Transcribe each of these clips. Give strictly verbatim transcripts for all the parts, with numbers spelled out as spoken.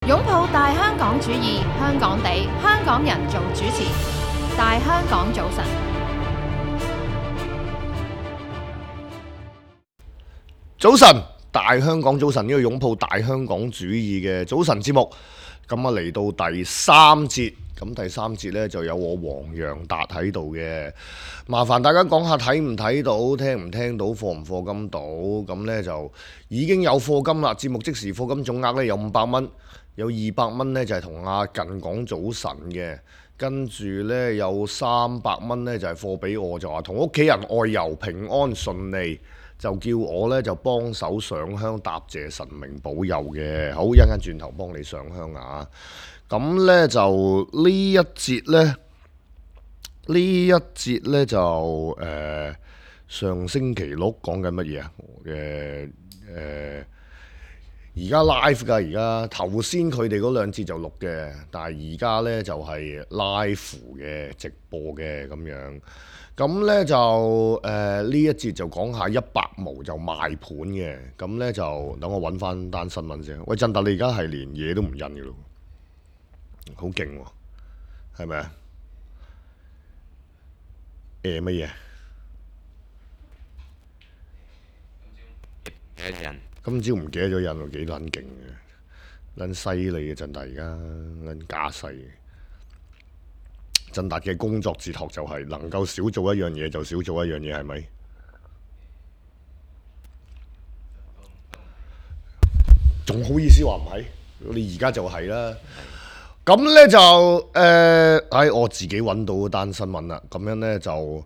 擁抱大香港主義，香港地，香港人做主持。大香港早晨，早晨，大香港早晨，呢個擁抱大香港主義嘅早晨節目，咁啊嚟到第三節，咁第三節呢就有我黃洋達喺度嘅，麻煩大家講下睇唔睇到，聽唔聽到，課唔課金到，咁呢就已經有課金啦，節目即時課金總額呢有五百蚊，有二百蚊呢就係同阿近講早晨嘅，跟住呢有三百蚊呢就係課俾我，就話同屋企人外遊平安順利。就叫我咧就幫手上香答謝神明保佑嘅，好，一陣間轉頭幫你上香啊！咁咧就呢一節咧，呢一節咧就誒、呃、上星期六講緊乜嘢啊？誒誒而家 live 㗎，而家頭先佢哋嗰兩節就錄嘅，但係而家咧就係 live 嘅直播嘅咁樣。咁咧就誒呢、呃、一節就講下一百毛就賣盤嘅，咁咧就等我揾翻單新聞先。喂，振達你而家係連嘢都唔印嘅咯，好勁喎，係咪啊？誒乜嘢？今朝唔記得咗印喎，幾撚勁嘅，撚犀利嘅振達而家撚架勢。振達嘅工作哲學就係能夠少做一樣嘢就少做一樣嘢，係咪？仲好意思話唔係？你而家就係啦。咁呢就誒，唉、呃，我自己揾到單新聞啦。咁樣呢，就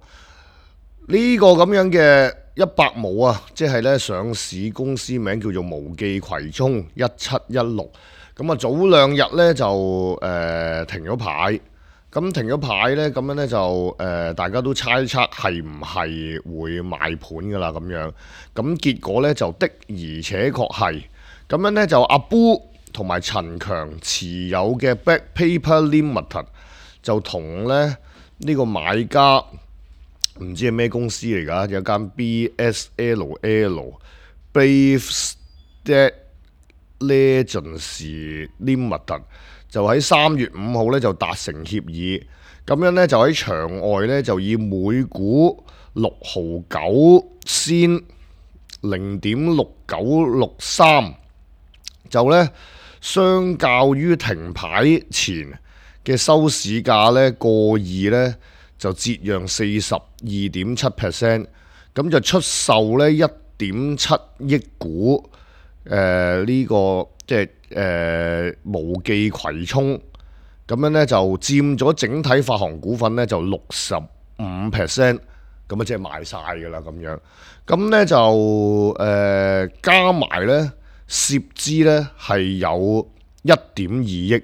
呢個咁樣嘅一百毛啊，即係呢上市公司名叫做無記葵涌一七一六。咁啊早兩日呢，就誒、呃、停咗牌。咁停咗牌呢，咁樣呢就誒、呃，大家都猜測係唔係會賣盤噶啦咁樣。咁結果呢，就的而且確係。咁樣呢，就阿 Boo 同埋陳強持有嘅 Black Paper Limited 就同咧呢、呢個買家唔知係咩公司嚟㗎，有間 B S L L Brave State Legends Limited。就喺三月五號咧就達成協議，咁樣咧就喺場外咧就以每股六毫九仙零點六九六三，就咧相較於停牌前嘅收市價咧過二咧就折讓四十二點七 percent， 咁就出售咧一點七億股，誒、呃、呢、這個即係。誒、呃、無記葵涌咁樣咧就佔咗整體發行股份咧就六十五 percent， 咁啊即係賣晒㗎啦咁樣。咁咧就誒、呃、加埋咧涉資咧係有一點二億。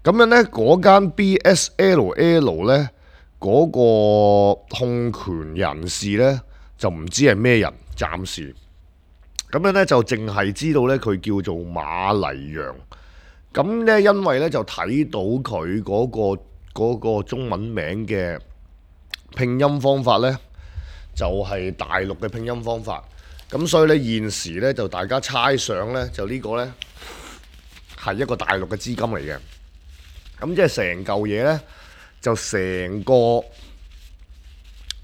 咁樣咧嗰間 B S L L 咧嗰、那個控權人士咧就唔知係咩人，暫時。咁樣咧就淨係知道咧佢叫做馬黎揚，咁咧因為咧就睇到佢嗰、嗰個嗰個中文名嘅拼音方法咧就係、係、大陸嘅拼音方法，咁所以咧現時咧就大家猜想咧就呢個咧係一個大陸嘅資金嚟嘅，咁即係成嚿嘢咧就成個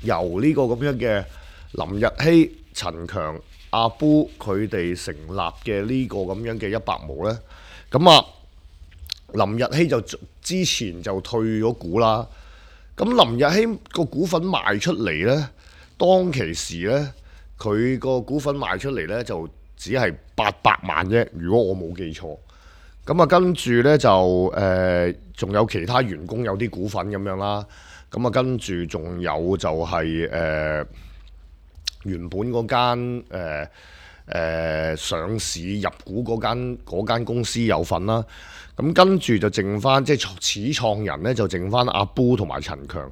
由呢個咁樣嘅林日曦、陳強、阿 Boo 佢哋成立嘅呢個咁樣嘅一百毛呢，咁啊林日曦就之前就退咗股啦。咁林日曦個股份賣出嚟呢，當其時呢，佢個股份賣出嚟呢，就只係八百萬啫。如果我冇記錯，咁啊跟住呢，就誒仲、呃、有其他員工有啲股份咁樣啦。咁啊跟住仲有就係、是、誒。呃原本嗰間誒誒上市入股嗰間嗰間公司有份啦，咁跟住就剩翻即係始創人咧就剩翻阿 Boo 同埋陳強，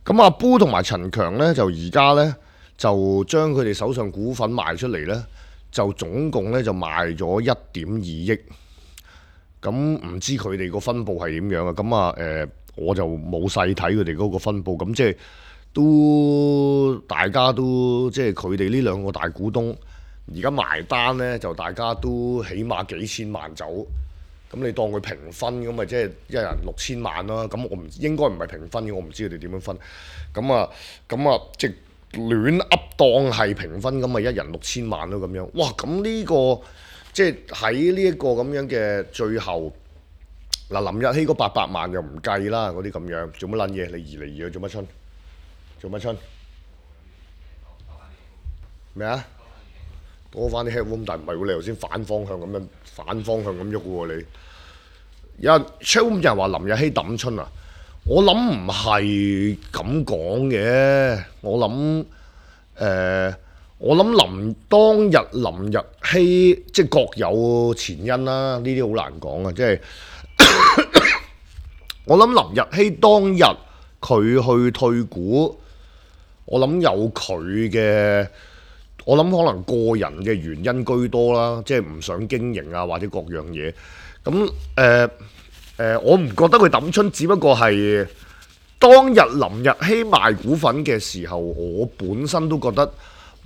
咁阿 Boo 同埋陳強咧就而家咧就將佢哋手上股份賣出嚟咧，就總共咧就賣咗一點二億，咁唔知佢哋個分佈係點樣啊？咁啊誒我就冇細睇佢哋嗰個分佈，咁即係。都大家都即係佢哋呢兩個大股東，而家埋單呢，就大家都起碼幾千萬走，咁你當佢平分咁咪即係一人六千萬啦。咁我唔應該唔係平分嘅，我唔知佢哋點樣分。咁啊咁啊，即係亂噏當係平分咁咪一人六千萬咯咁樣。哇！咁呢個即係喺呢一個咁樣嘅最後嗱，林日曦嗰八百萬又唔計啦，嗰啲咁樣做乜撚嘢？你移嚟移去做乜春？做乜春？咩啊？多翻啲 headroom，但唔係喎，你頭先反方向咁樣反方向咁喐喎你。有人 checkroom 有人話林日曦抌春啊，我諗唔係咁講嘅，我諗誒、呃，我諗林當日林日曦即係各有前因啦，呢啲好難講啊，即係我諗林日曦當日佢去退股，我諗有佢嘅。我諗可能個人嘅原因居多啦，即係唔想經營啊，或者各樣嘢。咁誒誒，我唔覺得佢抌春，只不過係當日林日曦賣股份嘅時候，我本身都覺得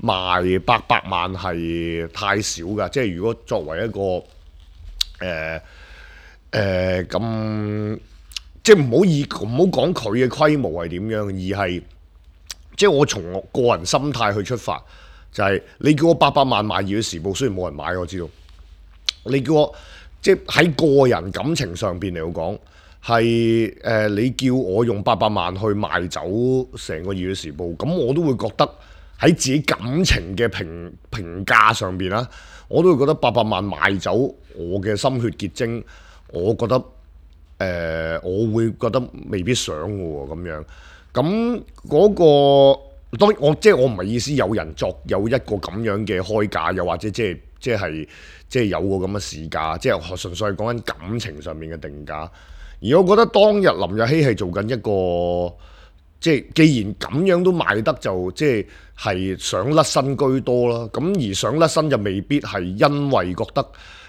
賣八百萬係太少㗎。即係如果作為一個誒誒咁，即係唔好以唔好講佢嘅規模係點樣，而係即係我從我個人心態去出發。就係你叫我八百萬買《熱血時報》，雖然冇人買，我知道。你叫我即係喺個人感情上邊嚟講，係誒、呃、你叫我用八百萬去賣走成個《熱血時報》，咁我都會覺得喺自己感情嘅評評價上邊啦，我都會覺得八百萬賣走我嘅心血結晶，我覺得誒、呃、我會覺得未必想嘅喎咁樣。咁嗰、嗰個。當然我即係我唔係意思有人作有一個咁樣嘅開價，又或者即係即係即係有個咁嘅市價，即係純粹係講緊感情上面嘅定價。而我覺得當日林日曦係做緊一個即係既然咁樣都賣得就即係係想甩身居多啦。咁而想甩身就未必係因為覺得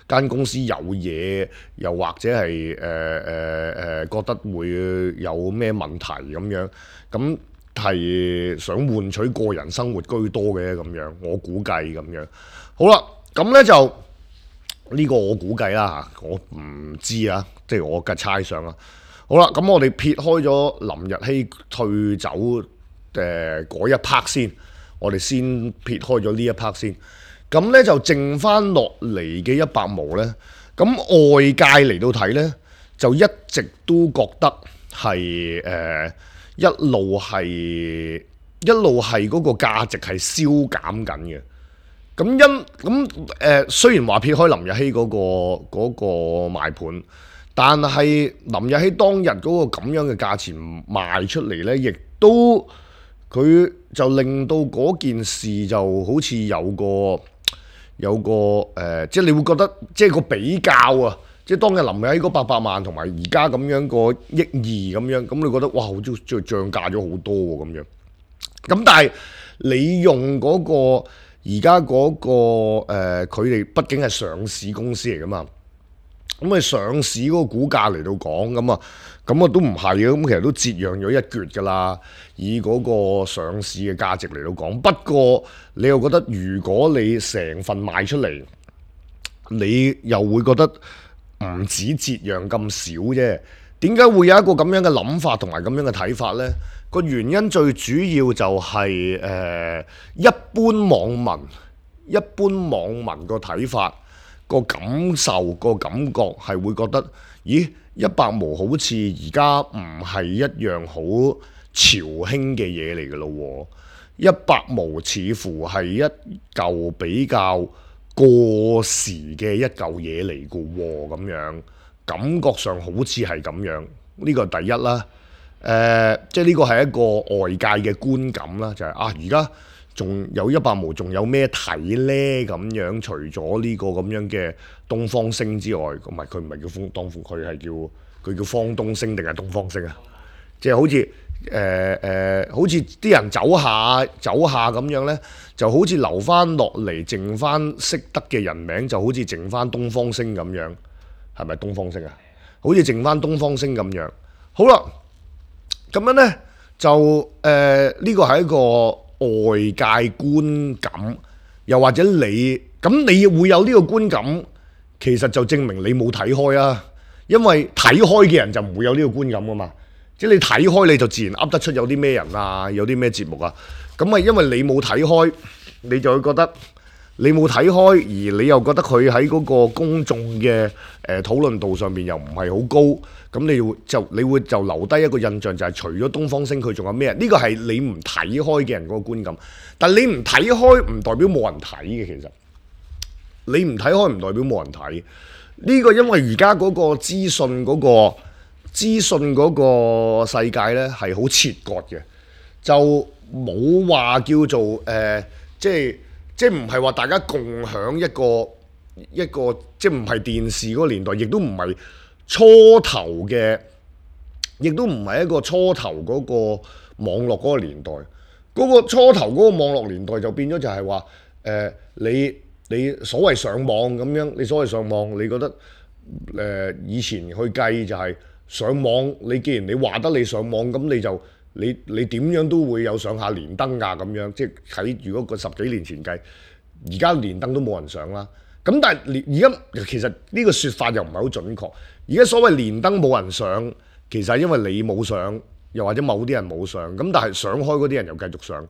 間公司有嘢，又或者係誒誒誒覺得會有咩問題咁樣咁。係想換取個人生活居多嘅咁樣，我估計咁樣。好啦，咁呢就呢、這個我估計啦，我唔知啊，即係我嘅猜想啦。好啦，咁我哋撇開咗林日曦退走誒嗰、呃、一 part 先，我哋先撇開咗呢一 part 先。咁呢就剩翻落嚟嘅一百毛呢。咁外界嚟到睇呢，就一直都覺得係誒。呃一路係一路係嗰個價值係消減緊嘅，咁因咁誒、呃、雖然話撇開林日曦嗰、嗰個嗰、嗰個賣盤，但係林日曦當日嗰個咁樣嘅價錢賣出嚟呢，亦都佢就令到嗰件事就好似有個有個誒、呃，即係你會覺得即係個比較啊。即係當日林日曦嗰八百萬同埋而家咁樣個億二咁樣，咁你覺得哇，好似漲漲價咗好多喎咁樣。咁但係你用嗰、嗰個而家嗰個佢哋、呃、畢竟係上市公司嚟噶嘛，咁你上市嗰個股價嚟到講咁啊，咁啊都唔係嘅，咁其實都折讓咗一橛噶啦。以嗰個上市嘅價值嚟到講，不過你又覺得如果你成份賣出嚟，你又會覺得。唔止折讓咁少啫，點解會有一個咁樣嘅諗法同埋咁樣嘅睇法呢？個原因最主要就係、是、誒、呃、一般網民一般網民個睇法、個感受、個感覺係會覺得，咦，一百毛好似而家唔係一樣好潮興嘅嘢嚟嘅咯喎，一百毛似乎係一嚿比較過時嘅一嚿嘢嚟嘅喎，咁樣感覺上好似係咁樣，呢個第一啦。誒、呃，即係呢個係一個外界嘅觀感啦，就係、是、啊，而家仲有一百毛，仲有咩睇呢？咁樣除咗呢個咁樣嘅東方星之外，唔係佢唔係叫東東方，佢係叫佢叫方東星定係東方星啊？即係好似。誒誒、呃呃，好似啲人走下走下咁樣呢，就好似留翻落嚟，剩翻識得嘅人名，就好似剩翻東方星咁樣，係咪東方星啊？好似剩翻東方星咁樣。好啦，咁樣呢，就誒呢個係一個外界觀感，又或者你咁你會有呢個觀感其實就證明你冇睇開啊。因為睇開嘅人就唔會有呢個觀感噶嘛。即係你睇開你就自然噏得出有啲咩人啊，有啲咩節目啊。咁啊，因為你冇睇開，你就會覺得你冇睇開，而你又覺得佢喺嗰個公眾嘅誒討論度上面又唔係好高，咁你會就你會就留低一個印象，就係除咗東方星佢仲有咩人？呢個係你唔睇開嘅人嗰個觀感。但你唔睇開唔代表冇人睇嘅，其實你唔睇開唔代表冇人睇。呢個因為而家嗰個資訊嗰個資訊嗰個世界呢係好切割嘅，就冇話叫做誒、呃，即係即係唔係話大家共享一個一個，即係唔係電視嗰個年代，亦都唔係初頭嘅，亦都唔係一個初頭嗰個網絡嗰個年代。嗰、嗰個初頭嗰個網絡年代就變咗就係話誒你。你所謂上網咁樣，你所謂上網，你覺得誒、呃、以前去計就係上網，你既然你話得你上網，咁你就你你點樣都會有上下連登㗎咁樣，即係喺如果個十幾年前計，而家連登都冇人上啦。咁但係而家其實呢個説法又唔係好準確。而家所謂連登冇人上，其實係因為你冇上，又或者某啲人冇上，咁但係上開嗰啲人又繼續上。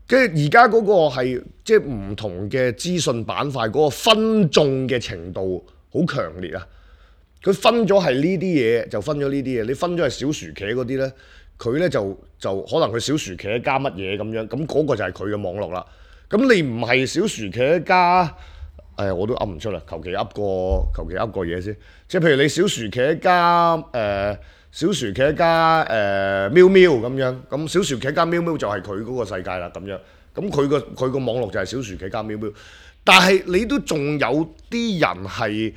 即係而家嗰個係即係唔同嘅資訊板塊嗰個分眾嘅程度好強烈啊！佢分咗係呢啲嘢就分咗呢啲嘢，你分咗係小薯茄嗰啲咧，佢咧就就可能佢小薯茄加乜嘢咁樣，咁嗰個就係佢嘅網絡啦。咁你唔係小薯茄加，誒我都噏唔出啦，求其噏個求其噏個嘢先。即係譬如你小薯茄加誒。呃小薯茄加誒、呃、喵喵咁樣，咁小薯茄加喵喵就係佢嗰個世界啦咁樣，咁佢個佢個網絡就係小薯茄加喵喵，但係你都仲有啲人係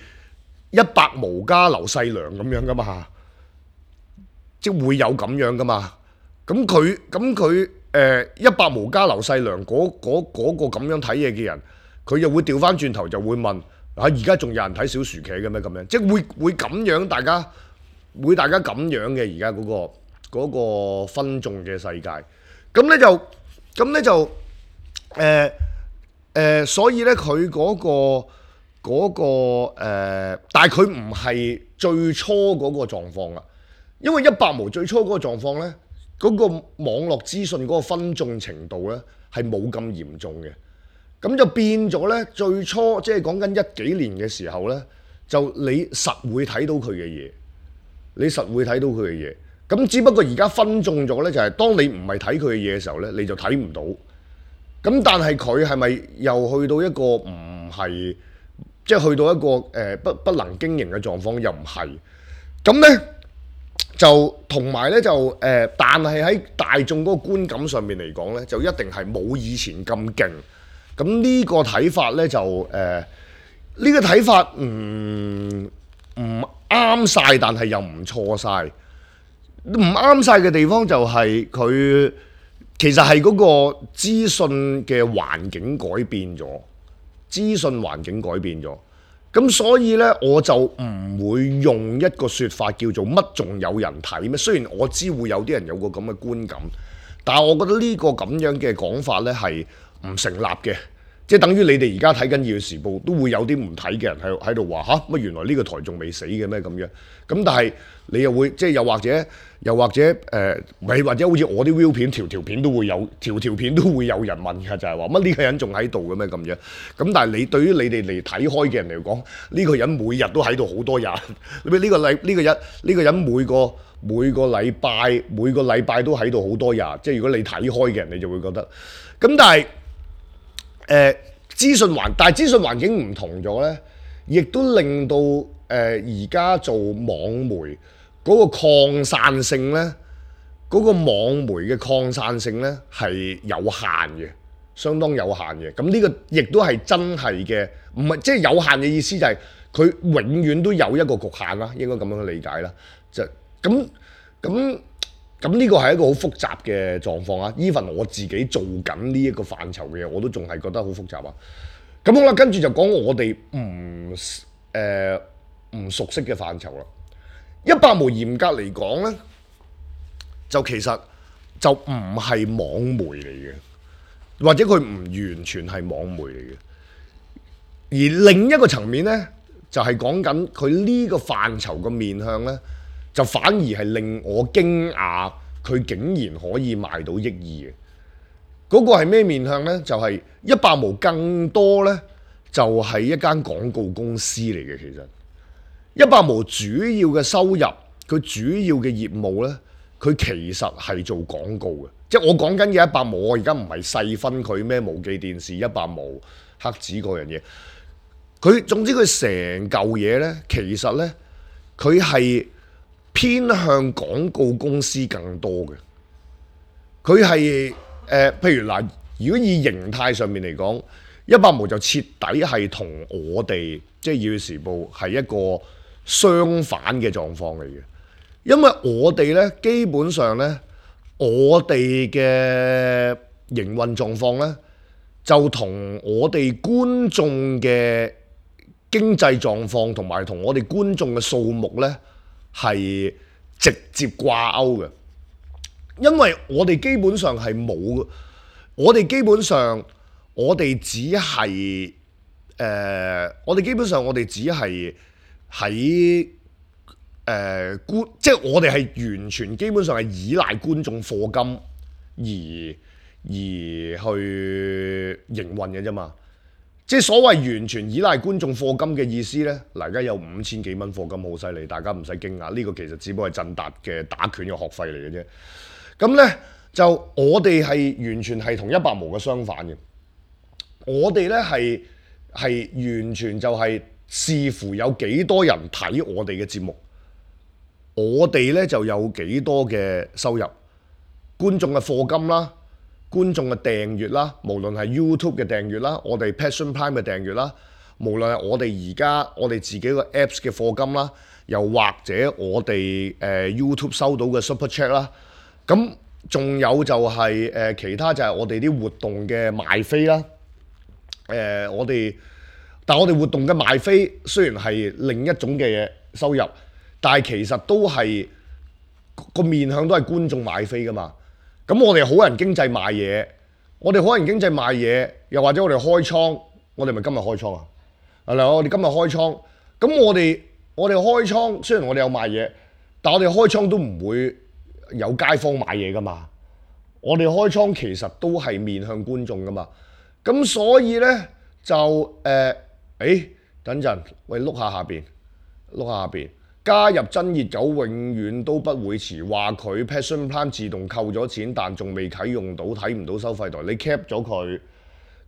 一百毛加劉細良咁樣噶嘛，即係會有咁樣噶嘛，咁佢咁佢誒一百毛加劉細良嗰嗰嗰個咁樣睇嘢嘅人，佢又會調翻轉頭就會問啊，而家仲有人睇小薯茄嘅咩咁樣，即係會會咁樣大家。會大家咁樣嘅而家嗰個嗰個分眾嘅世界，咁咧就咁咧就誒誒、呃呃，所以咧佢嗰個嗰、嗰個、呃、但係佢唔係最初嗰個狀況啊，因為一百毛最初嗰個狀況咧，嗰、嗰個網絡資訊嗰個分眾程度咧係冇咁嚴重嘅，咁就變咗咧最初即係講緊一幾年嘅時候咧，就你實會睇到佢嘅嘢。你實會睇到佢嘅嘢，咁只不過而家分眾咗呢，就係當你唔係睇佢嘅嘢嘅時候呢，你就睇唔到。咁但係佢係咪又去到一個唔係，即係去到一個誒、呃、不不能經營嘅狀況？又唔係。咁呢，就同埋呢，就誒、呃，但係喺大眾嗰個觀感上面嚟講呢，就一定係冇以前咁勁。咁呢個睇法呢，就誒，呢、呃呢個睇法唔唔啱晒，但係又唔錯晒。唔啱晒嘅地方就係佢其實係嗰個資訊嘅環境改變咗，資訊環境改變咗。咁所以呢，我就唔會用一個説法叫做乜仲有人睇咩？雖然我知會有啲人有個咁嘅觀感，但係我覺得呢個咁樣嘅講法呢係唔成立嘅。即係等於你哋而家睇緊《二月時報》，都會有啲唔睇嘅人喺喺度話吓，乜原來呢個台仲未死嘅咩咁樣？咁但係你又會即係又或者又或者誒，咪、呃、或者好似我啲 view 片條條片都會有條條片都會有人問㗎，就係話乜呢個人仲喺度嘅咩咁樣？咁但係你對於你哋嚟睇開嘅人嚟講，呢、呢個人每日都喺度好多日，呢、呢個禮呢、呢個人呢、呢個人每個每個禮拜每個禮拜都喺度好多日，即係如果你睇開嘅人，你就會覺得咁，但係。誒、呃、資訊環，但係資訊環境唔同咗呢，亦都令到誒而家做網媒嗰個擴散性呢，嗰、嗰個網媒嘅擴散性呢係有限嘅，相當有限嘅。咁呢個亦都係真係嘅，唔係即係有限嘅意思就係佢永遠都有一個局限啦，應該咁樣去理解啦。就咁咁。咁呢個係一個好複雜嘅狀況啊 ！even 我自己做緊呢一個範疇嘅嘢，我都仲係覺得好複雜啊！咁好啦，跟住就講我哋唔誒唔熟悉嘅範疇啦。一百毛嚴格嚟講呢，就其實就唔係網媒嚟嘅，或者佢唔完全係網媒嚟嘅。而另一個層面呢，就係講緊佢呢個範疇嘅面向呢，就反而係令我驚訝，佢竟然可以賣到億二嘅。嗰、那個係咩面向呢？就係一百毛更多呢，就係、是、一間廣告公司嚟嘅。其實一百毛主要嘅收入，佢主要嘅業務呢，佢其實係做廣告嘅。即係我講緊嘅一百毛，我而家唔係細分佢咩無記電視、一百毛、黑子嗰樣嘢。佢總之佢成嚿嘢呢，其實呢，佢係偏向廣告公司更多嘅。佢係誒，譬如嗱，如果以形態上面嚟講，一百毛就徹底係同我哋即係《要時報》係一個相反嘅狀況嚟嘅。因為我哋呢，基本上呢，我哋嘅營運狀況呢，就同我哋觀眾嘅經濟狀況同埋同我哋觀眾嘅數目呢，係直接掛鈎嘅。因為我哋基本上係冇，我哋基本上我哋只係誒、呃，我哋基本上我哋只係喺誒觀，即係我哋係完全基本上係依賴觀眾課金而而去營運嘅啫嘛。即係所謂完全依賴觀眾課金嘅意思呢，嗱，而家有五千幾蚊課金好犀利，大家唔使驚訝，呢、這個其實只不過係振達嘅打拳嘅學費嚟嘅啫。咁呢，就我哋係完全係同一百毛嘅相反嘅，我哋呢係係完全就係視乎有幾多人睇我哋嘅節目，我哋呢就有幾多嘅收入，觀眾嘅課金啦，觀眾嘅訂閱啦，無論係 YouTube 嘅訂閱啦，我哋 Passion Prime 嘅訂閱啦，無論係我哋而家我哋自己個 Apps 嘅課金啦，又或者我哋誒、呃、YouTube 收到嘅 Super Chat 啦。咁仲有就係、是、誒、呃、其他就係我哋啲活動嘅賣飛啦，誒、呃、我哋，但係我哋活動嘅賣飛雖然係另一種嘅收入，但係其實都係個面向都係觀眾買飛噶嘛。咁我哋好人經濟賣嘢，我哋好人經濟賣嘢，又或者我哋開倉，我哋咪今日開倉啊？係啦，我哋今日開倉，咁我哋我哋開倉，雖然我哋有賣嘢，但我哋開倉都唔會有街坊買嘢噶嘛，我哋開倉其實都係面向觀眾噶嘛，咁所以呢，就誒，誒、呃，等陣，喂，碌下下邊，碌下下邊，加入真熱狗永遠都不會遲，話佢 Passion Plan 自動扣咗錢，但仲未啟用到，睇唔到收費台，你 cap 咗佢，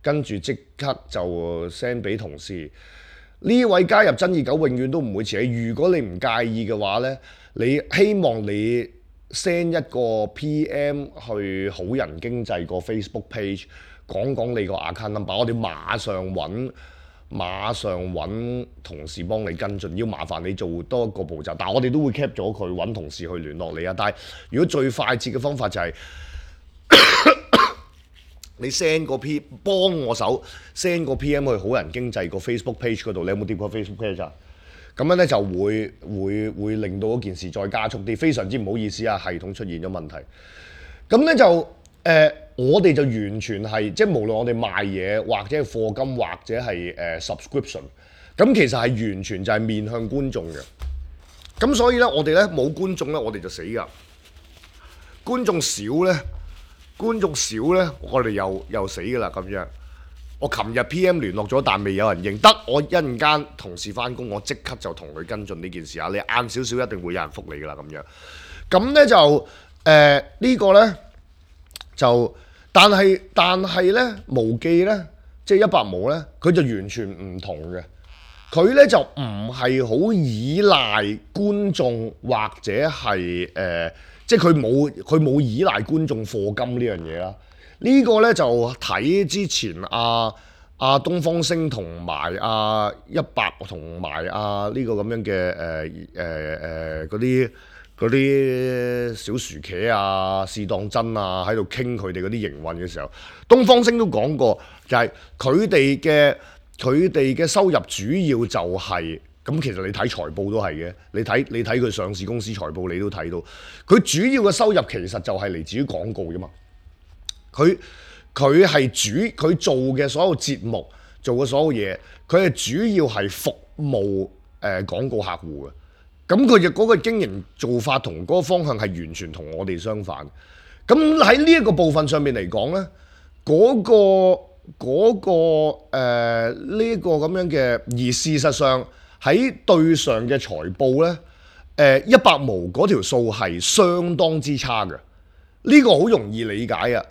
跟住即刻就 send 俾同事。呢位加入真熱狗永遠都唔會遲，如果你唔介意嘅話呢，你希望你send 一個 P M 去好人經濟個 Facebook page， 講講你個 account number，我哋馬上揾馬上揾同事幫你跟進，要麻煩你做多一個步驟，但係我哋都會 cap 咗佢，揾同事去聯絡你啊。但係如果最快捷嘅方法就係、是、你 send 個 P 幫我手 send 個 P M 去好人經濟個 Facebook page 嗰度，你有冇掂過 Facebook page 啊？咁樣咧就會會會令到嗰件事再加速啲，非常之唔好意思啊，系統出現咗問題。咁咧就誒、呃，我哋就完全係即係無論我哋賣嘢或者係課金或者係誒、呃、subscription，咁其實係完全就係面向觀眾嘅。咁所以咧，我哋咧冇觀眾咧，我哋就死㗎。觀眾少咧，觀眾少咧，我哋又又死㗎啦咁樣。我琴日 P M 聯絡咗，但未有人應得。我一陣間同事翻工，我即刻就同佢跟進呢件事啊！你晏少少一定會有人覆你噶啦咁樣。咁咧就誒、呃這個、呢個咧就，但係但係咧無記咧，即係一百毛咧，佢就完全唔同嘅。佢咧就唔係好依賴觀眾或者係誒、呃，即係佢冇佢冇依賴觀眾課金呢樣嘢啦。呢個咧就睇之前阿阿東方星同埋阿一百同埋阿呢個咁樣嘅誒誒誒嗰啲嗰啲小薯茄啊、試當真啊喺度傾佢哋嗰啲營運嘅時候，東方星都講過，就係佢哋嘅佢哋嘅收入主要就係、是、咁。其實你睇財報都係嘅，你睇你睇佢上市公司財報，你都睇到佢主要嘅收入其實就係嚟自於廣告啫嘛。佢佢係主佢做嘅所有節目做嘅所有嘢，佢係主要係服務誒廣告客戶嘅。咁佢嘅嗰個經營做法同嗰個方向係完全同我哋相反。咁喺呢一個部分上面嚟講呢，嗰、個嗰、個誒呢個咁樣嘅，而事實上喺對上嘅財報呢，誒一百毛嗰條數係相當之差嘅。呢、個好容易理解啊！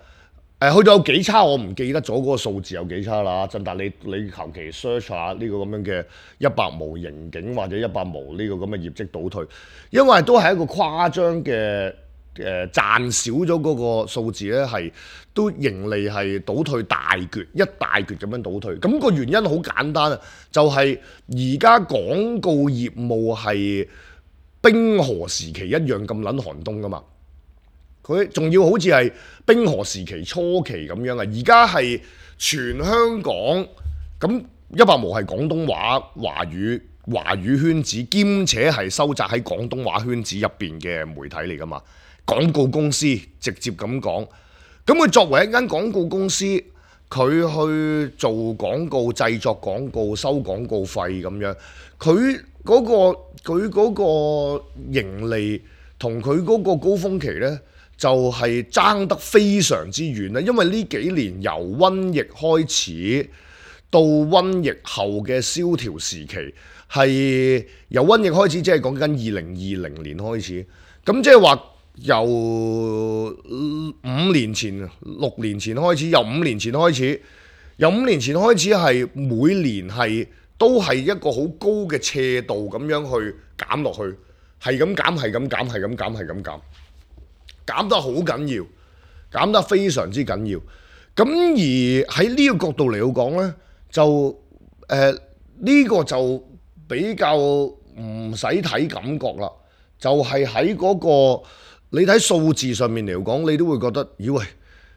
誒去到有幾差，我唔記得咗嗰個數字有幾差啦。真但你你求其 search 下呢個咁樣嘅一百毛盈警或者一百毛呢個咁嘅業績倒退，因為都係一個誇張嘅誒賺少咗嗰個數字咧，係都盈利係倒退大橛一大橛咁樣倒退。咁、個原因好簡單啊，就係而家廣告業務係冰河時期一樣咁撚寒冬噶嘛。佢仲要好似係冰河時期初期咁樣啊！而家係全香港咁一百毛係廣東話華語華語圈子，兼且係收窄喺廣東話圈子入邊嘅媒體嚟噶嘛。廣告公司直接咁講，咁佢作為一間廣告公司，佢去做廣告、製作廣告、收廣告費咁樣，佢嗰、個佢嗰個盈利同佢嗰個高峰期呢，就係爭得非常之遠啦，因為呢幾年由瘟疫開始到瘟疫後嘅蕭條時期，係由瘟疫開始，即係講緊二零二零年開始，咁即係話由五年前、六年前開始，由五年前開始，由五年前開始係每年係都係一個好高嘅斜度咁樣去減落去，係咁減，係咁減，係咁減，係咁減。減得好緊要，減得非常之緊要。咁而喺呢個角度嚟到講呢，就誒呢、呃呢個就比較唔使睇感覺啦。就係喺嗰個你睇數字上面嚟講，你都會覺得，咦喂，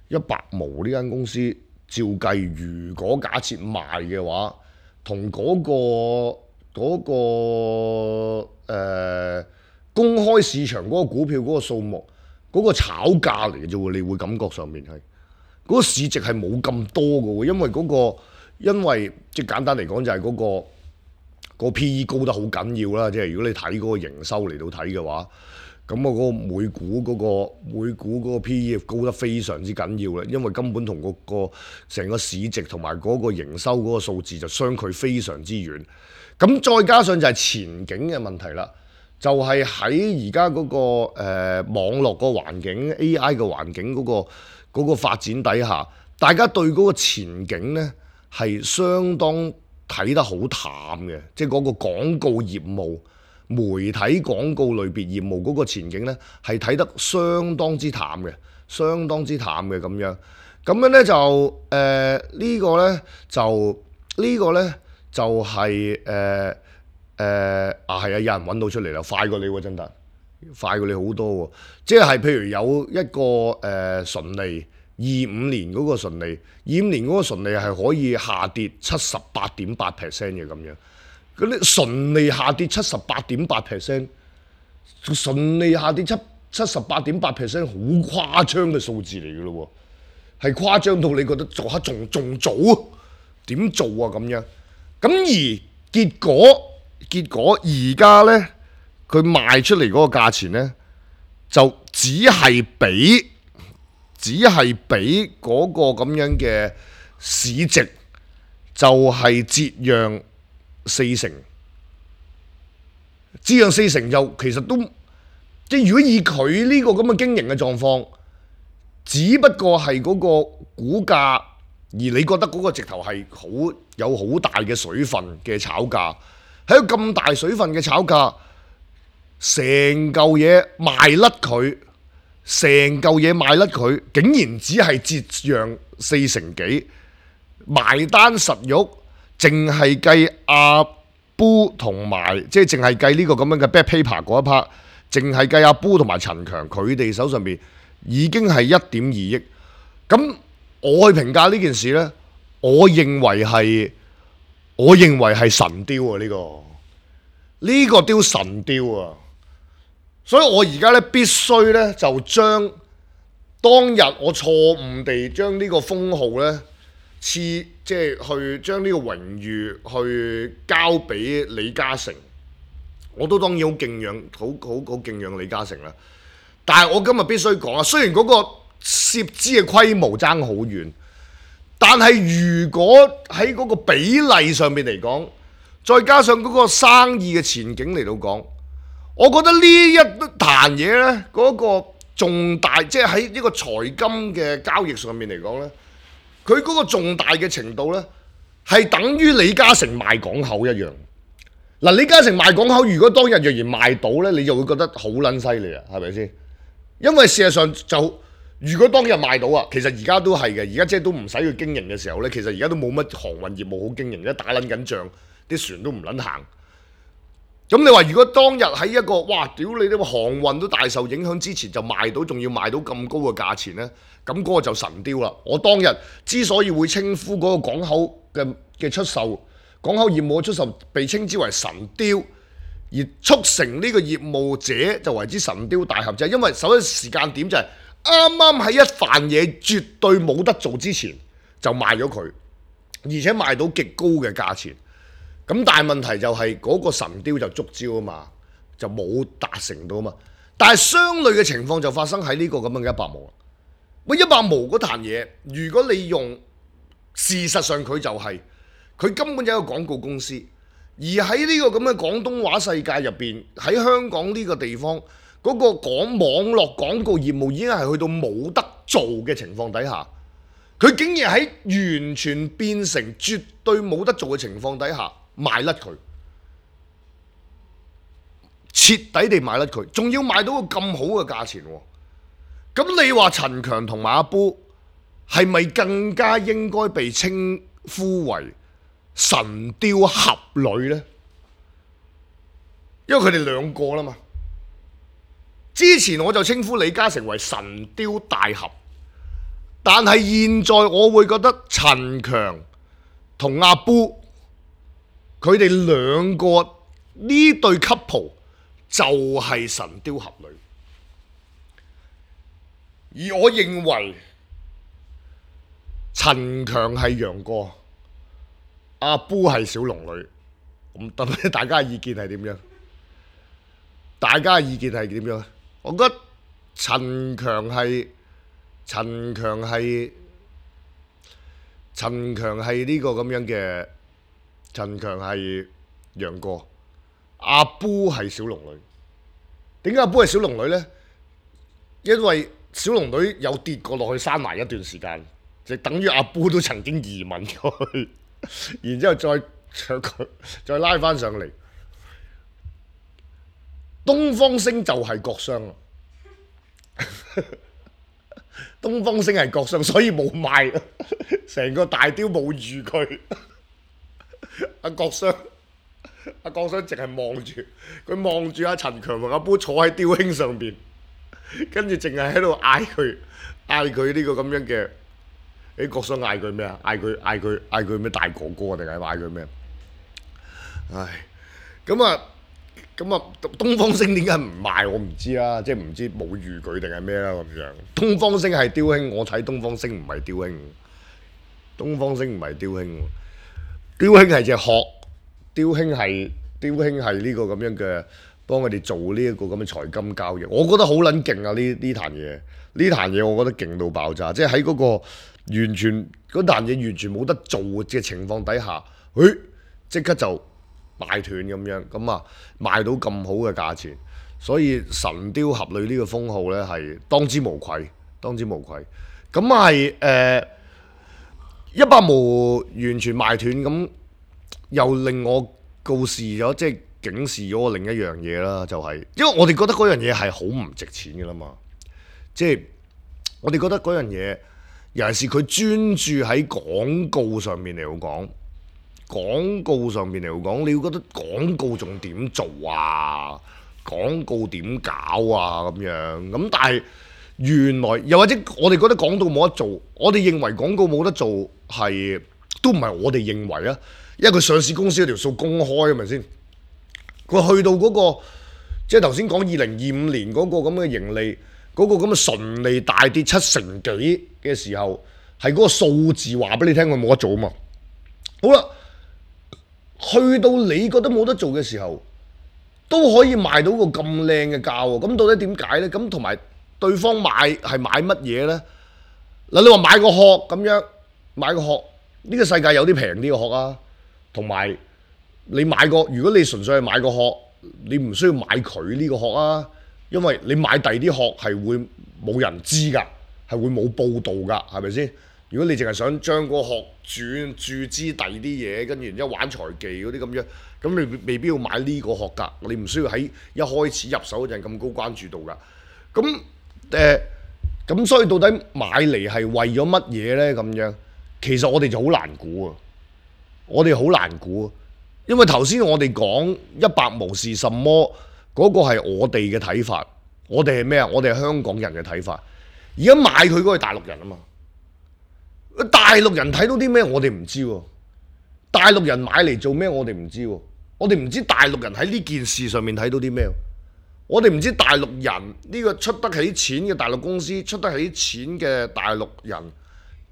一百毛呢間公司照計，如果假設賣嘅話，同嗰、嗰個嗰、嗰個、呃、公開市場嗰個股票嗰個數目。嗰個炒價嚟嘅啫喎，你會感覺上面係嗰個市值係冇咁多嘅喎，因為嗰個因為即係簡單嚟講就係嗰個個 P E 高得好緊要啦，即係如果你睇嗰個營收嚟到睇嘅話，咁啊嗰個每股嗰個每股嗰個 P E 高得非常之緊要啦，因為根本同嗰個成個市值同埋嗰個營收嗰個數字就相距非常之遠，咁再加上就係前景嘅問題啦。就係喺而家嗰個誒、呃、網絡個環境 A I 嘅環境嗰、嗰個嗰個發展底下，大家對嗰個前景呢係相當睇得好淡嘅，即係嗰個廣告業務、媒體廣告類別業務嗰個前景呢係睇得相當之淡嘅，相當之淡嘅咁樣。咁樣呢就誒呢、呃呢個呢就呢、呢個呢就係、是、誒。呃誒、呃、啊係啊，有人揾到出嚟啦，快過你喎，真得快過你好多喎。即係譬如有一個誒、呃、純利二五年嗰個純利，二五年嗰個純利係可以下跌七十八點八 percent 嘅咁樣。嗰啲純利下跌七十八點八 percent，純利下跌七七十八點八 percent，好誇張嘅數字嚟嘅咯喎，係誇張到你覺得做下仲仲早啊？點做啊咁樣？咁而結果。結果而家呢，佢賣出嚟嗰個價錢呢，就只係比只係比嗰個咁樣嘅市值就係折讓四成，折讓四成就其實都即係如果以佢呢個咁嘅經營嘅狀況，只不過係嗰個股價，而你覺得嗰個直頭係好有好大嘅水分嘅炒價。喺咁大水分嘅炒價，成嚿嘢賣甩佢，成嚿嘢賣甩佢，竟然只係折讓四成幾，埋單實肉，淨係計阿 Boo 同埋，即係淨係計呢個咁樣嘅 Back Paper 嗰一 part，淨係計阿 Boo 同埋陳強佢哋手上邊已經係一點二億。咁我去評價呢件事呢，我認為係。我認為係神雕啊！呢、呢個呢、呢個雕神雕啊！所以我而家咧必須咧就將當日我錯誤地將呢個封號咧賜即係去將呢個榮譽去交俾李嘉誠我都當然好敬仰，好好好敬仰李嘉誠啦。但係我今日必須講啊，雖然嗰個涉資嘅規模爭好遠，但係如果喺嗰個比例上面嚟講，再加上嗰個生意嘅前景嚟到講，我覺得呢一壇嘢呢，嗰、嗰個重大，即係喺呢個財金嘅交易上面嚟講呢，佢嗰個重大嘅程度呢，係等於李嘉誠賣港口一樣。嗱，李嘉誠賣港口，如果當日若然賣到呢，你就會覺得好撚犀利啊，係咪先？因為事實上就，如果當日賣到啊，其實而家都係嘅，而家即係都唔使去經營嘅時候呢，其實而家都冇乜航運業務好經營，而家打撚緊仗，啲船都唔撚行。咁你話如果當日喺一個哇屌你啲航運都大受影響之前就賣到，仲要賣到咁高嘅價錢呢？咁嗰個就神雕啦！我當日之所以會稱呼嗰個港口嘅嘅出售，港口業務嘅出售被稱之為神雕，而促成呢個業務者就為之神雕大俠，就係因為首先時間點就係啱啱喺一瓣嘢絕對冇得做之前就賣咗佢，而且賣到極高嘅價錢。咁但係問題就係嗰個神雕就觸礁啊嘛，就冇達成到啊嘛。但係相類嘅情況就發生喺呢個咁樣嘅一百毛啦。喂，一百毛嗰壇嘢，如果你用事實上佢就係、是、佢根本就係一個廣告公司，而喺呢個咁嘅廣東話世界入邊，喺香港呢個地方嗰、那個講網絡廣告業務已經係去到冇得做嘅情況底下，佢竟然喺完全變成絕對冇得做嘅情況底下，賣甩佢，徹底地賣甩佢，仲要賣到個咁好嘅價錢喎。咁你話陳強同埋阿波係咪更加應該被稱呼為神雕俠侶呢？因為佢哋兩個啦嘛。之前我就稱呼李嘉誠為神雕大俠，但係現在我會覺得陳強同阿波佢哋兩個呢對 couple 就係神雕俠侶，而我認為陳強係楊過，阿波係小龍女。咁等大家嘅意見係點樣？大家嘅意見係點樣？我覺得陳強係陳強係陳強係呢個咁樣嘅。陳強係楊過，阿波係小龍女。點解阿波係小龍女呢？因為小龍女有跌過落去山崖一段時間，就等於阿波都曾經移民過去，然之後再再再拉翻上嚟。東方星就係郭襄啊！東方星係郭襄，所以冇賣，成個大雕冇預佢。阿郭襄，阿郭襄淨係望住佢，望住阿陳強同阿波坐喺雕兄上邊，跟住淨係喺度嗌佢，嗌佢呢個咁樣嘅。誒，郭襄嗌佢咩啊？嗌佢嗌佢嗌佢咩大哥哥定係嗌佢咩？唉，咁啊，咁啊，東方星點解唔賣我唔知啦，即係唔知冇預佢定係咩啦咁樣。東方星係雕兄，我睇東方星唔係雕兄，東方星唔係雕兄。雕兄係隻殼，雕兄係雕兄係呢個咁樣嘅，幫佢哋做呢一個咁嘅財金交易，我覺得好撚勁啊！呢呢壇嘢，呢壇嘢我覺得勁到爆炸，即係喺嗰個完全嗰壇嘢完全冇得做嘅情況底下，誒即刻就賣斷咁樣，咁啊賣到咁好嘅價錢，所以神雕俠侶呢個封號呢係當之無愧，當之無愧。咁係誒。一百毛完全賣斷，咁又令我告示咗，即係警示咗我另一樣嘢啦，就係、是、因為我哋覺得嗰樣嘢係好唔值錢嘅啦嘛，即係我哋覺得嗰樣嘢，尤其是佢專注喺廣告上面嚟講，廣告上面嚟講，你會覺得廣告仲點做啊？廣告點搞啊？咁樣咁，但係。原來又或者我哋覺得廣告冇得做，我哋認為廣告冇得做係都唔係我哋認為啊，因為佢上市公司嗰條數公開係咪先？佢去到嗰、嗰個即係頭先講二零二五年嗰個咁嘅盈利，嗰、嗰個咁嘅純利大跌七成幾嘅時候，係嗰個數字話俾你聽佢冇得做啊嘛。好啦，去到你覺得冇得做嘅時候，都可以賣到個咁靚嘅價喎。咁到底點解呢？咁同埋對方買係買乜嘢呢？嗱，你話買個殼咁樣，買個殼，呢個世界有啲平啲嘅殼啊，同埋你買個，如果你純粹係買個殼，你唔需要買佢呢個殼啊，因為你買第二啲殼係會冇人知㗎，係會冇報導㗎，係咪先？如果你淨係想將個殼轉注資第二啲嘢，跟住然之後玩財技嗰啲咁樣，咁你未必要買呢個殼㗎，你唔需要喺一開始入手嗰陣咁高關注度㗎。咁誒，咁、呃、所以到底買嚟係為咗乜嘢呢？咁樣其實我哋就好難估啊！我哋好難估，因為頭先我哋講一百無是什麼嗰、嗰個係我哋嘅睇法，我哋係咩啊？我哋係香港人嘅睇法。而家買佢嗰個係大陸人啊嘛。大陸人睇到啲咩？我哋唔知喎。大陸人買嚟做咩？我哋唔知喎。我哋唔知大陸人喺呢件事上面睇到啲咩。我哋唔知大陸人呢個出得起錢嘅大陸公司，出得起錢嘅大陸人，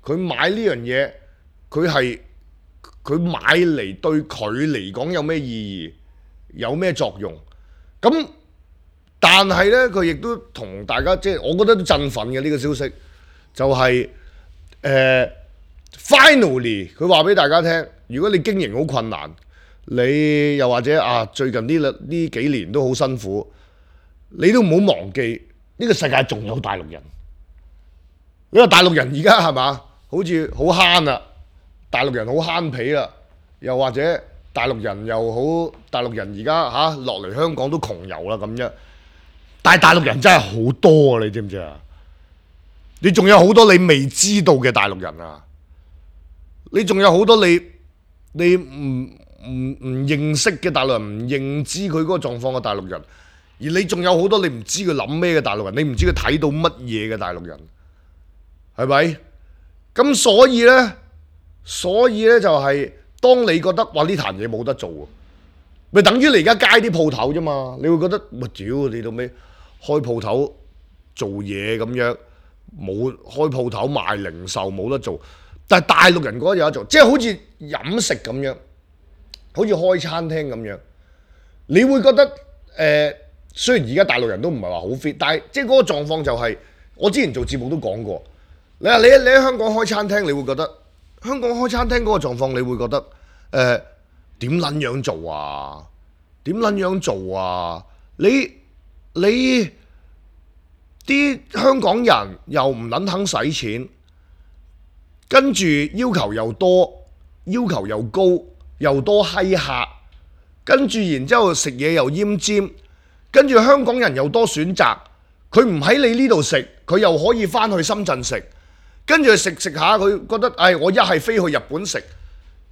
佢買呢樣嘢，佢係佢買嚟對佢嚟講有咩意義，有咩作用？咁但係呢，佢亦都同大家即係，我覺得都振奮嘅呢個消息，就係。誒、uh, finally 佢話俾大家聽，如果你經營好困難，你又或者啊最近呢呢幾年都好辛苦，你都唔好忘記呢個世界仲有大陸人。因為大陸人而家係嘛，好似好慳啦，大陸人好慳皮啦，又或者大陸人又好，大陸人而家嚇落嚟香港都窮遊啦咁樣。但係大陸人真係好多啊，你知唔知啊？你仲有好多你未知道嘅大陸人啊！你仲有好多你你唔唔唔認識嘅大陸人，唔認知佢嗰個狀況嘅大陸人，而你仲有好多你唔知佢諗咩嘅大陸人，你唔知佢睇到乜嘢嘅大陸人，係咪？咁所以呢，所以呢就係當你覺得哇呢壇嘢冇得做，咪等於你而家街啲鋪頭啫嘛，你會覺得喂屌你到尾開鋪頭做嘢咁樣。冇開鋪頭賣零售冇得做，但係大陸人覺得有得做，即係好似飲食咁樣，好似開餐廳咁樣，你會覺得誒、呃，雖然而家大陸人都唔係話好 fit，但係即係嗰個狀況就係、是，我之前做節目都講過，你話你你喺香港開餐廳，你會覺得香港開餐廳嗰個狀況，你會覺得誒點撚樣做啊？點撚樣做啊？你你。啲香港人又唔撚肯使錢，跟住要求又多，要求又高，又多閪客，跟住然之後食嘢又奄尖，跟住香港人又多選擇，佢唔喺你呢度食，佢又可以翻去深圳食，跟住食食下佢覺得，唉、哎，我一係飛去日本食，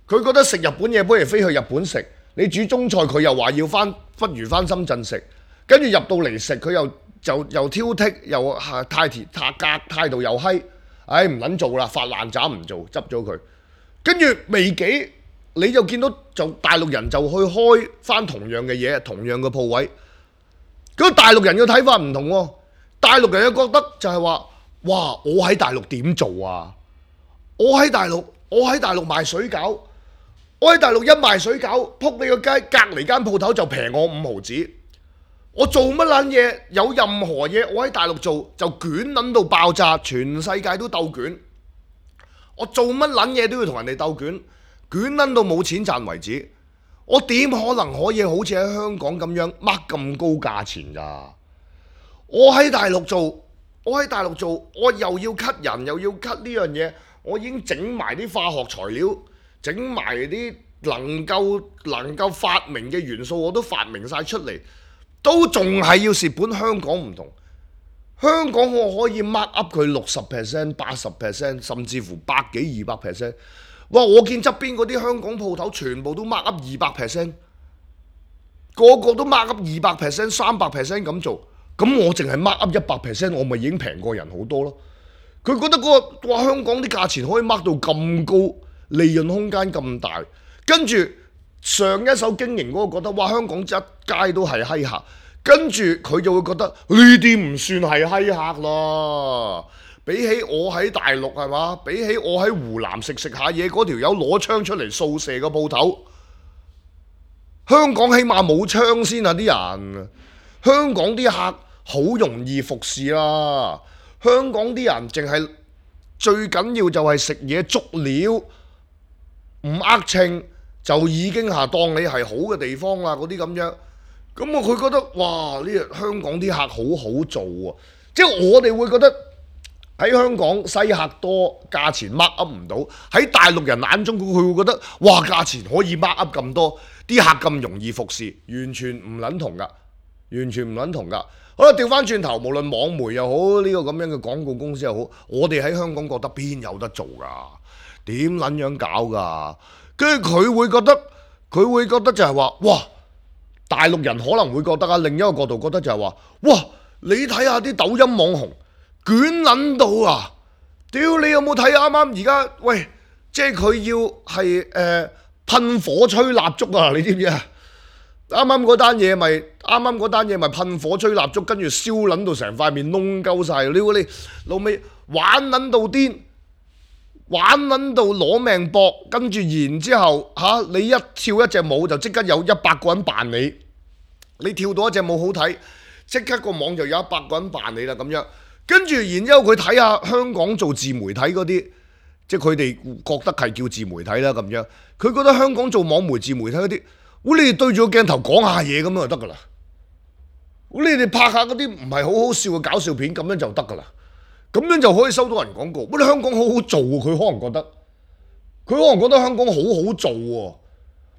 佢覺得食日本嘢不如飛去日本食，你煮中菜佢又話要翻，不如翻深圳食，跟住入到嚟食佢又。就又挑剔，又係態態格態度又閪，唉唔撚做啦，發爛渣唔做，執咗佢。跟住未幾，你就見到就大陸人就去開翻同樣嘅嘢，同樣嘅鋪位。咁大陸人嘅睇法唔同喎，大陸人又覺得就係話，哇！我喺大陸點做啊？我喺大陸，我喺大陸賣水餃，我喺大陸一賣水餃，撲你個街，隔離間鋪頭就平我五毫子。我做乜撚嘢？有任何嘢我喺大陸做就捲撚到爆炸，全世界都鬥捲。我做乜撚嘢都要同人哋鬥捲，捲撚到冇錢賺為止。我點可能可以好似喺香港咁樣掹咁高價錢咋？我喺大陸做，我喺大陸做，我又要 cut 人，又要 cut 呢樣嘢，我已經整埋啲化學材料，整埋啲能夠能夠發明嘅元素，我都發明晒出嚟。都仲係要蝕本，香港唔同。香港我可以 mark up 佢六十 percent、八十 percent， 甚至乎百幾二百 percent。哇！我見側邊嗰啲香港鋪頭全部都 mark up 二百 percent， 個個都 mark up 二百 percent、三百 percent 咁做。咁我淨係 mark up 一百 percent， 我咪已經平過人好多咯。佢覺得嗰個哇香港啲價錢可以 mark 到咁高，利潤空間咁大，跟住。上一手經營嗰個覺得哇香港一街都係閪客，跟住佢就會覺得呢啲唔算係閪客啦。比起我喺大陸係嘛，比起我喺湖南食食下嘢，嗰條友攞槍出嚟掃射個鋪頭，香港起碼冇槍先啊！啲人，香港啲客好容易服侍啦。香港啲人淨係最緊要就係食嘢足料，唔呃稱就已經係當你係好嘅地方啦。嗰啲咁樣，咁啊佢覺得哇呢個香港啲客好好做啊！即係我哋會覺得喺香港西客多，價錢 mark up 唔到。喺大陸人眼中，佢會覺得哇價錢可以 mark up 咁多，啲客咁容易服侍，完全唔撚同噶，完全唔撚同噶。好啦，調翻轉頭，無論網媒又好，呢個咁樣嘅廣告公司又好，我哋喺香港覺得邊有得做噶？點撚樣搞噶？跟住佢會覺得，佢會覺得就係話，哇！大陸人可能會覺得啊，另一個角度覺得就係話，哇！你睇下啲抖音網紅捲撚到啊！屌你有冇睇啱啱而家？喂，即係佢要係誒、呃、噴火吹蠟燭啊！你知唔知啊？啱啱嗰單嘢咪啱啱嗰單嘢咪噴火吹蠟燭，跟住燒撚到成塊面窿鳩晒。你你老味玩撚到癲，玩撚到攞命搏，跟住然之後嚇、啊、你一跳一隻舞就即刻有一百個人扮你，你跳到一隻舞好睇，即刻個網就有一百個人扮你啦咁樣。跟住然之後佢睇下香港做自媒體嗰啲，即係佢哋覺得係叫自媒體啦咁樣。佢覺得香港做網媒自媒體嗰啲，喂你哋對住個鏡頭講下嘢咁樣就得噶啦。你哋拍下嗰啲唔係好好笑嘅搞笑片咁樣就得噶啦。咁樣就可以收到人廣告。喂，你香港好好做喎，佢可能覺得，佢可能覺得香港好好做喎。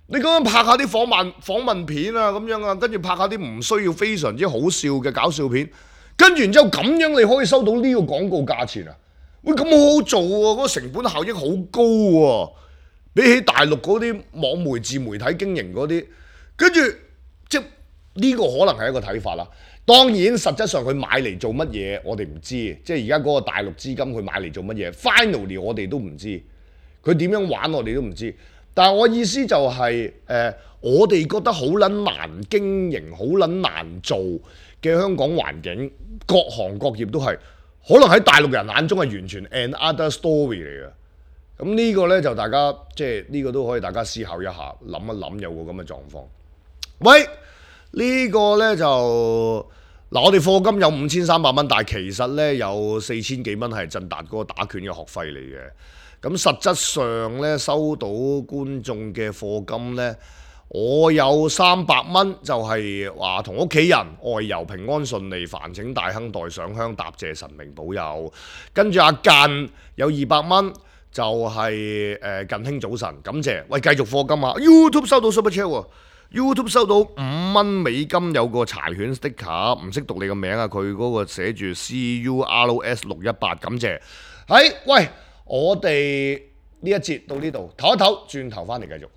你咁樣拍下啲訪問訪問片啊咁樣啊，跟住拍下啲唔需要非常之好笑嘅搞笑片。跟住然之後咁樣你可以收到呢個廣告價錢啊！喂，咁好好做喎，嗰個成本效益好高喎，比起大陸嗰啲網媒自媒體經營嗰啲，跟住即係呢個可能係一個睇法啦。當然實質上佢買嚟做乜嘢，我哋唔知，即係而家嗰個大陸資金佢買嚟做乜嘢 ，finally 我哋都唔知，佢點樣玩我哋都唔知。但係我意思就係、是、誒、呃，我哋覺得好撚難經營，好撚難做嘅香港環境，各行各業都係可能喺大陸人眼中係完全 another story 嚟嘅。咁呢個呢，就大家即係呢、這個都可以大家思考一下，諗一諗有個咁嘅狀況。喂，呢、這個呢，就嗱，我哋課金有五千三百蚊，但係其實呢，有四千幾蚊係振達嗰個打拳嘅學費嚟嘅。咁實質上咧收到觀眾嘅課金咧，我有三百蚊就係話同屋企人外遊平安順利，煩請大亨代上香答謝神明保佑。跟住阿近有二百蚊就係、是、誒、呃、近兄早晨，感謝。喂，繼續課金啊 ！YouTube 收到 Super Chat 喎 ，YouTube 收到五蚊美金，有個柴犬 sticker， 唔識讀你個名啊！佢嗰個寫住 C U R S 六一八，感謝。喺喂。我哋呢一節到呢度，唞一唞，轉頭翻嚟繼續。